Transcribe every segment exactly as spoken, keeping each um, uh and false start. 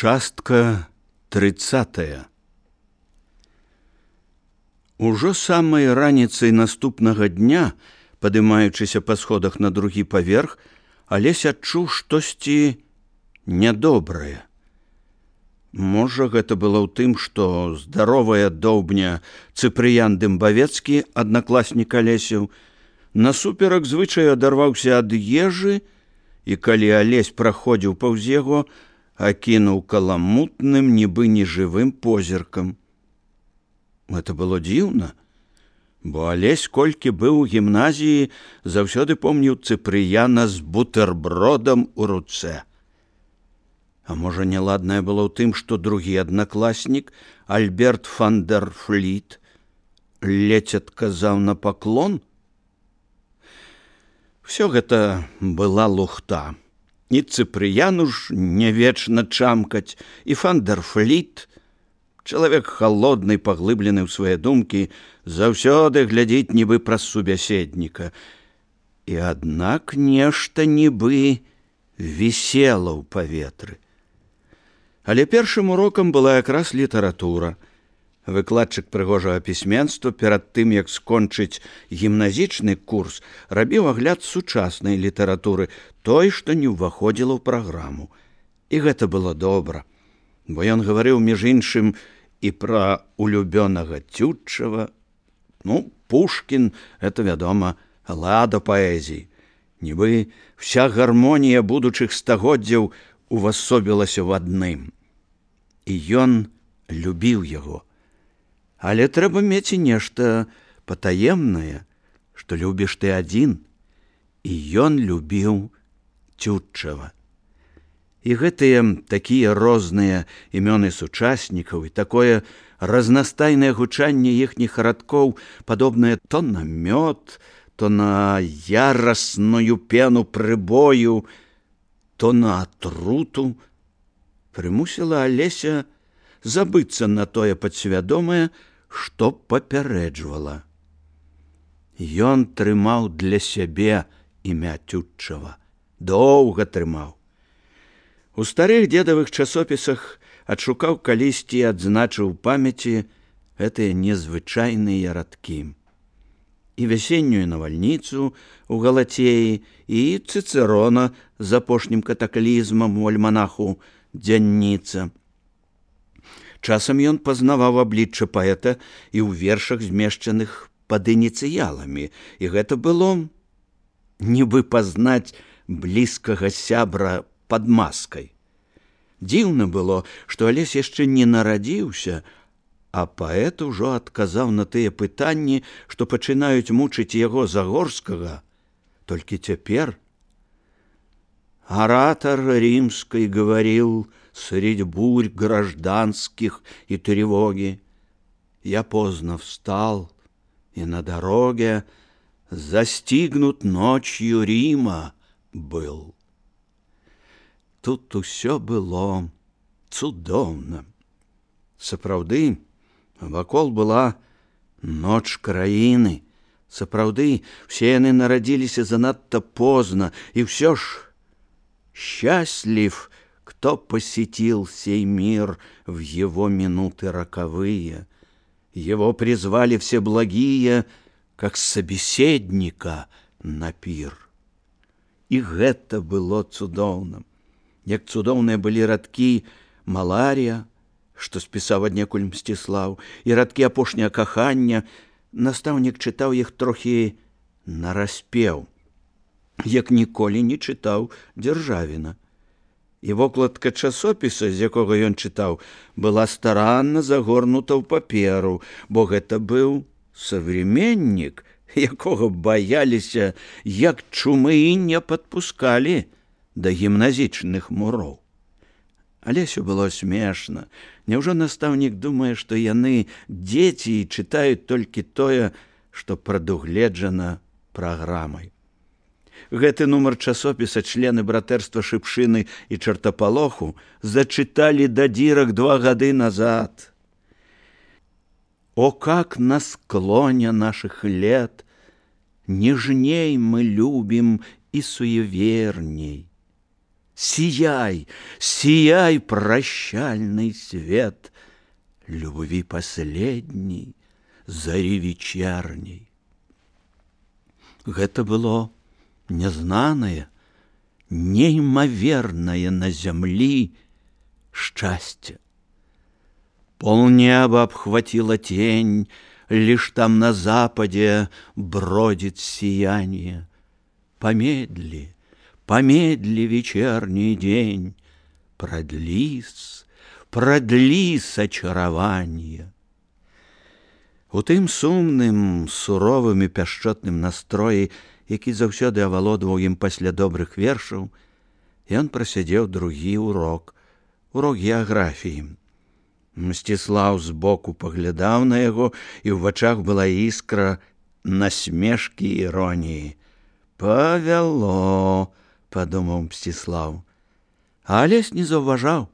Частка трыццатая. Ужо самай раніцай наступнага дня, падымаючыся па сходах на другі паверх, Алесь адчуў штосьці нядобрае. Можа, гэта было ў тым, што здаровая доўбня Цыпрыян Дымбавецкі, аднакласнік Алесяў, насуперак звычаю адарваўся ад ежы, і калі Алесь праходзіў паўз яго, акінуў каламутным, нібы нежывым позіркам. Гэта было дзіўна, бо Алесь, колькі быў у гімназіі, заўсёды помніў Цыпрыяна з бутэрбродам у руцэ. А можа, няладнае было ў тым, што другі аднакласнік, Альберт фан дер Фліт, ледзь адказаў на паклон? Всё гэта была лухта. І Цыпрыяну ж не вечна чамкаць, і фан дер Фліт, чалавек халодны, паглыблены ў свае думкі, заўсёды глядзіць нібы праз субяседніка. І аднак нешта нібы вісела ў паветры. Але першым урокам была якраз літаратура. Выкладчык прыгожага пісьменства перад тым, як скончыць гімназічны курс, рабіў агляд сучаснай літаратуры, той, што не ўваходзіла ў праграму. І гэта было добра, бо ён гаварыў, між іншым, і пра улюбёнага Тютчева. Ну, Пушкін — это, вядома, лада паэзіі. Нібы вся гармонія будучых стагоддзяў увасобілася ў адным. І ён любіў яго. Але трэба мець і нешта патаемнае, што любіш ты адзін. І ён любіў Тютчева. І гэтыя такія розныя імёны сучаснікаў і такое разнастайнае гучанне іхніх радкоў, падобнае то на мёд, то на ярасную пену прыбою, то на атруту, прымусіла Алеся забыцца на тое падсвядомае, што папярэджвала. Ён трымаў для сябе імя Тютчева, доўга трымаў. У старых дзедавых часопісах адшукаў калісьці і адзначыў памяці гэтыя незвычайныя радкі. І вясеннюю навальніцу у Галацеі, і Цыцэрона з апошнім катаклізмам у альманаху «Дзянніца». Часам ён пазнаваў аблічча паэта і ў вершах, змешчаных пад ініцыяламі, і гэта было нібы пазнаць блізкага сябра пад маскай. Дзіўна было, што Алесь яшчэ не нарадзіўся, а паэт ужо адказаў на тыя пытанні, што пачынаюць мучыць яго Загорскага. Толькі цяпер оратор римской говорил средь бурь гражданских и тревоги. Я поздно встал, и на дороге застигнут ночью Рима был. Тут усё было цудоўна. Сапраўды, вакол была ноч краіны. Сапраўды, все яны нарадзіліся занадта позна, и все ж счастлив, кто посетил сей мир в его минуты роковые. Его призвали все благие, как собеседника на пир. И гэта было цудоўна. Як цудоўныя былі радкі «Маларія», што спісаў аднекуль Мсціслаў, і радкі «Апошняе кахання». Настаўнік чытаў іх трохі нараспеў, як ніколі не чытаў Дзяржавіна. І вокладка часопіса, з якога ён чытаў, была старанна загорнута ў паперу, бо гэта быў современнік, якога баяліся, як чумы, і не падпускалі да гімназічных муроў. Алесю было смешна. Няўжо настаўнік думае, што яны дзеці і чытаюць толькі тое, што прадугледжана праграмай. Гэты нумар часопіса члены братэрства Шыпшыны і Чартапалоху зачыталі да дзірак два гады назад. О, как на склоне наших лет нежней мы любим и суеверней. сияй, сияй, прощальный свет любви последней, зари вечерней. Гэта было нязнанае, неймавернае на зямлі счастье. Полнеба обхватила тень, лишь там на западе бродит сияние. Помедли, помедли, вечерний день, продлись, продлись очарование. У тым сумным, суровым і пяшчотным настроі, які заўсёды авалодваў ім пасля добрых вершаў, ён прасядзеў другі урок, урок геаграфіі. Мсціслаў збоку паглядаў на яго, і ў вачах была іскра насмешкі і іроніі. «Павяло», — падумаў Мсціслаў. А Алесь не заўважаў,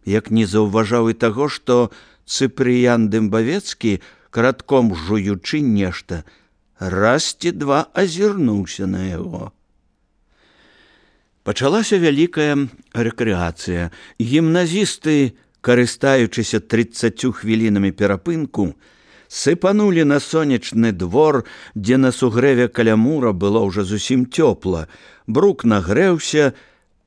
як не заўважаў і таго, што Цыпрыян Дымбавецкі, каратком жуючы нешта, раз ці два азірнуўся на яго. Пачалася вялікая рэкрэацыя. Гімназісты, карыстаючыся трыццаццю хвілінамі перапынку, сыпанулі на сонечны двор, дзе на сугрэве каля мура было ўжо зусім цёпла. Брук нагрэўся,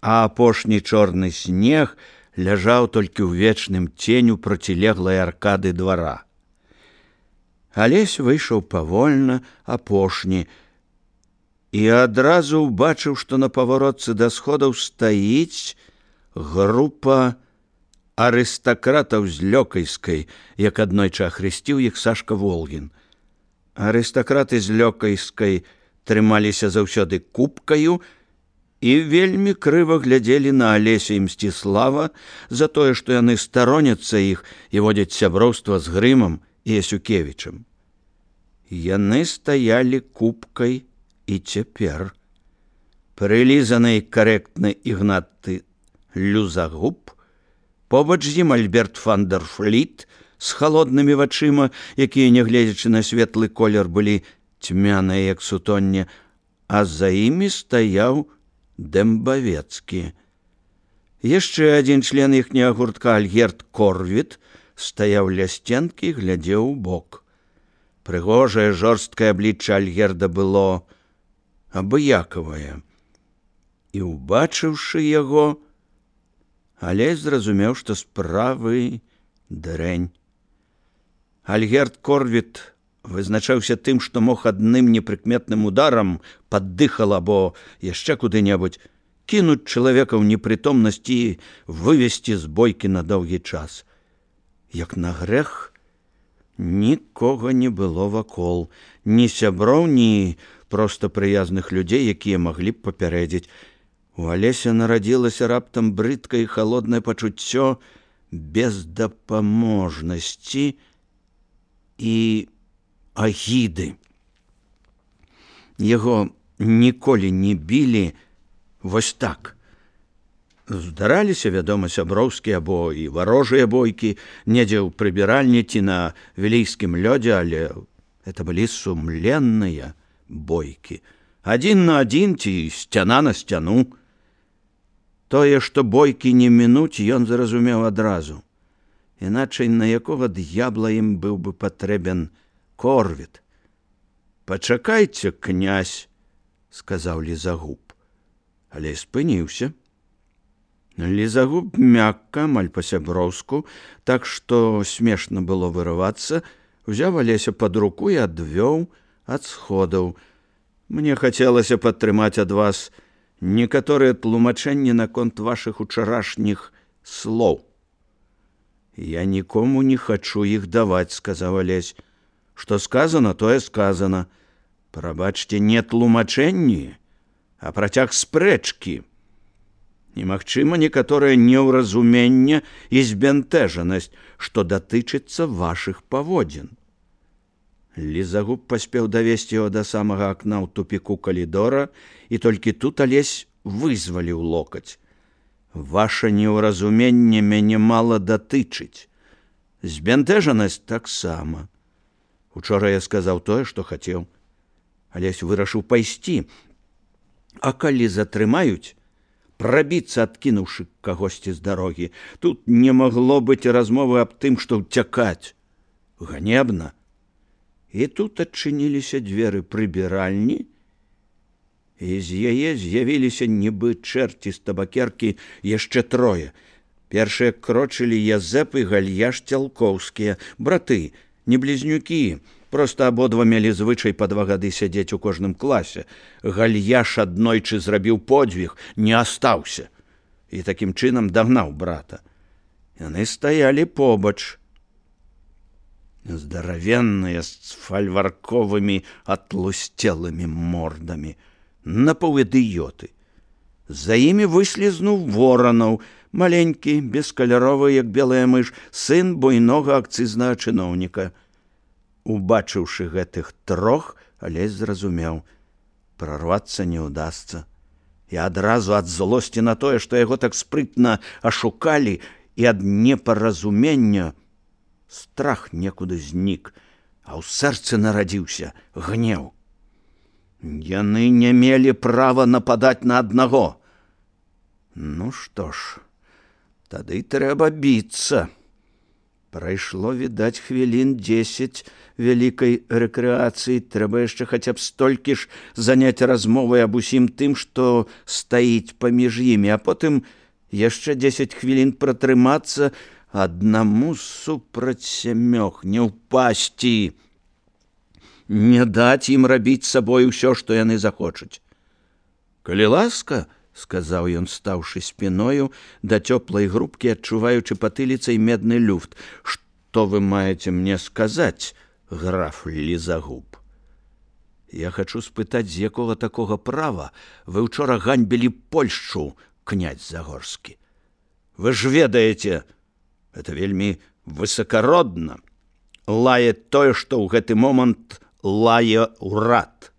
а апошні чорны снег ляжаў толькі ў вечным ценю процілеглай аркады двара. Алесь выйшаў павольна, апошні, і адразу ўбачыў, што на паваротцы да сходаў стаіць група арыстакратаў з Лёкайскай, як аднойчы ахрысціў іх Сашка Волгін. Арыстакраты з Лёкайскай трымаліся заўсёды купкаю і вельмі крыва глядзелі на Алеся і Мсціслава за тое, што яны староняцца іх і водзяць сяброўства з Грымам і Ясюкевічам. Яны стаялі купкай і цяпер. Прылізаны карэктны Ігнаты Люзагуб, побач з ім Альберт Фандерфліт з халоднымі вачыма, якія, нягледзячы на светлы колер, былі цьмяныя, як сутонне, а за імі стаяў Дэмбавецкі. Яшчэ адзін член іхняга гуртка, Альгерд Корвіт, стаяў ля сценкі і глядзеў у бок. Прыгожае жорсткае аблічча Альгерда было абыякавае. І, убачыўшы яго, Алесь зразумеў, што справы дрэнь. Альгерд Корвіт вызначаўся тым, што мог адным непрыкметным ударам пад дыхал або яшчэ куды-небудзь кінуць чалавека ў непрытомнасць і вывесці з бойкі на доўгі час. Як на грэх, нікога не было вакол, ні сяброў, ні проста прыязных людзей, якія маглі б папярэдзіць. У Алеся нарадзілася раптам брыдкае і халоднае пачуццё бездапаможнасці і агіды. Яго ніколі не білі вось так. Здараліся, вядома, сяброўскія або і варожыя бойкі, недзе ў прыбіральні ці на вілейскім лёдзе, але это былі сумленныя бойкі. Адзін на адзін ці сцяна на сцяну. Тое, што бойкі не мінуць, ён зразумеў адразу. Іначай на якога д'ябла ім быў бы патрэбен Корвіт. «Пачакайце, князь», — сказаў Лізагуб. Але спыніўся. Лізагуб мякка, амаль па-сяброўску, так што смешна было вырывацца, узяў Алеся пад руку і адвёў ад сходаў. «Мне хацелася падтрымаць ад вас некаторыя тлумачэнні наконт вашых учарашніх слоў». «Я нікому не хачу іх даваць», — сказаў Алесь. «Што сказано, тое сказано. Прабачце, не тлумачэнні, а працяг спрэчкі. Немагчыма некаторае неўразуменне і збянтэжанасць, што датычыцца вашых паводзін». Лізагуб паспеў давесці яго да самага акна ў тупіку калідора, і толькі тут Алесь вызваліў локаць. «Ваша неўразуменне мяне мала датычыць. Збянтэжанасць таксама. Учора я сказаў тое, што хацеў. Алесь вырашыў пайсці. А калі затрымаюць, прабіцца, адкінуўшы кагосьці з дарогі. Тут не магло быць размовы аб тым, што ўцякаць. Ганебна. І тут адчыніліся дзверы прыбіральні, і з яе з'явіліся нібы чэрці з табакеркі яшчэ трое. Першыя крочылі Язэп і Гальяш Цялкоўскія, браты, не блізнюкі, проста абодва мелі звычай па два гады сядзець у кожным класе. Гальяш аднойчы зрабіў подзвіг, не астаўся, і такім чынам дагнаў брата. Яны стаялі побач. Здаравенныя, з фальварковымі атлусцелымі мордамі, напаўідыёты. За імі выслізнуў Воранаў, маленькі, бескаляровы, як белая мыш, сын буйнога акцызнага чыноўніка. Убачыўшы гэтых трох, Алесь зразумеў, прарвацца не ўдасца. І адразу ад злосці на тое, што яго так спрытна ашукалі, і ад непаразумення страх некуды знік, а ў сэрцы нарадзіўся гнеў. Яны не мелі права нападаць на аднаго. Ну што ж, тады трэба біцца. Прайшло, відаць, хвілін дзесяць вялікай рэкрэацыі. Трэба яшчэ хаця б столькі ж заняць размовай аб усім тым, што стаіць паміж імі, а потым яшчэ дзесяць хвілін пратрымацца, аднаму супраць сямёх, не ўпасці. Не даць ім рабіць сабой усё, што яны захочуць. Калі ласка, сказаў ён, стаўшы спіною да цёплай грубкі, адчуваючы патыліцай медны люфт. Што вы маеце мне сказаць, граф Лізагуб? Я хачу спытаць, з якога такога права вы ўчора ганьбілі Польшчу, князь Загорскі? Вы ж ведаеце, это вельмі высакародна. Лае тое, што ў гэты момант лае ўрад.